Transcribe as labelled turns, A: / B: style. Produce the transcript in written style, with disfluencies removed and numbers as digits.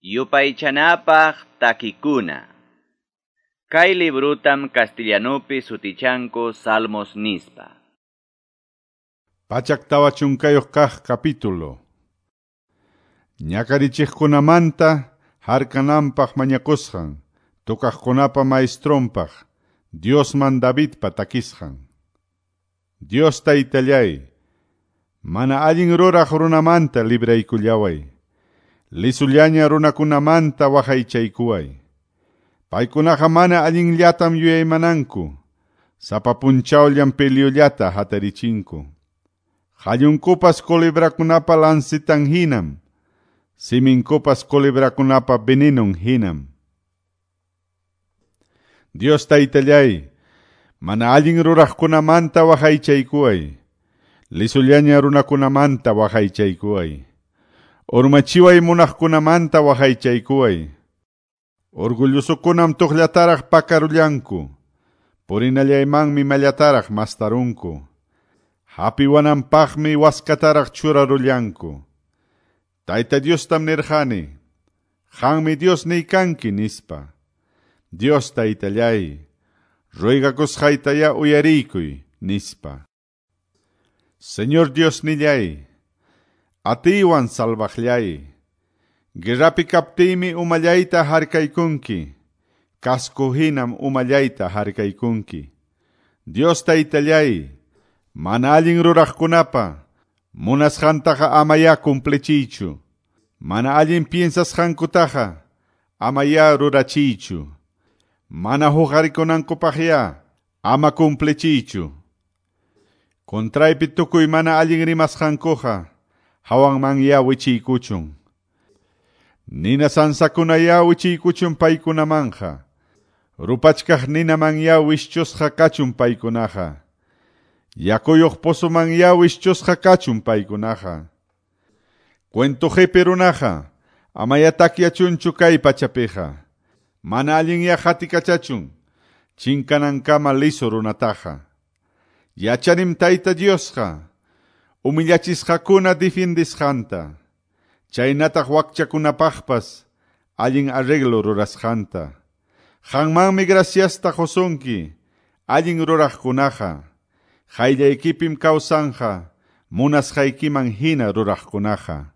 A: Yupaychanapaq takikuna. Kay librutam castellanupi sutichanku Salmos nispa.
B: 140 kaq capítulo. Ñakarichiqkunamanta harkananpaq mañakusqan, tukaqkunapa maestronpaq, Diosman Davidpa takisqan. Dios taytallay, mana allin ruraq runamanta libraykullaway. Lisullaña runakunamanta waqaychaykuway. Paykunaqa mana allinllatam yuyaymananku, sapa punchawllam peliullata hatarichinku. Qallunkupas culebrakunapa lancitan hinam, siminkupas culebrakunapa venenon hinam. Dios taytallay, mana allin ruraqkunamanta waqaychaykuway, lisullaña runakunamanta waqaychaykuway. Urmachiway munaqkunamanta waqaychaykuway. Orgullosokunam tuqllataraq pakarullanku, purinallaymanmi mallataraq mastarunku. Hapiwananpaqmi waskataraq churarullanku. Tayta Diostam nirqani, qanmi Diosniy kanki nispa. Dios taytallay, ruegakusqaytaya uyariykuy nispa. Señor Diosnillay, atiywan salvaqllay. Guerrapi kaptiymi umallayta harkaykunki, casco hinam umallayta harkaykunki. Dios taytallay, mana allin ruraqkunapa munasqantaqa amaya cumplichiychu. Mana allin piensasqankutaqa amaya rurachiychu. Mana huqarikunankupaqya ama cumplichiychu. Contraypi tukuy mana allin rimasqankuqa hawanmanya wichiykuchun. Nina sansakunaya wichiykuchun paykunamanja. Rupachkaq ninamanya wishchusqa kachun paykunaqa. Yakuyuq pozomanya wishchusqa kachun paykunaqa. Cuento qipi runaqa amaya takyachunchu kay pachapiqa. Mana allinya hatikachachun, chinkanankama liso runataqa. Yachanim Tayta Diosqa, humillachisqakuna difindisqanta, chaynataq wakchakunapaqpas allin arreglo rurasqanta. Qanmanmi graciasta qusunki, allin ruraqkunaqa, qayllaykipim kawsanja, munasqaykiman hina ruraqkunaqa.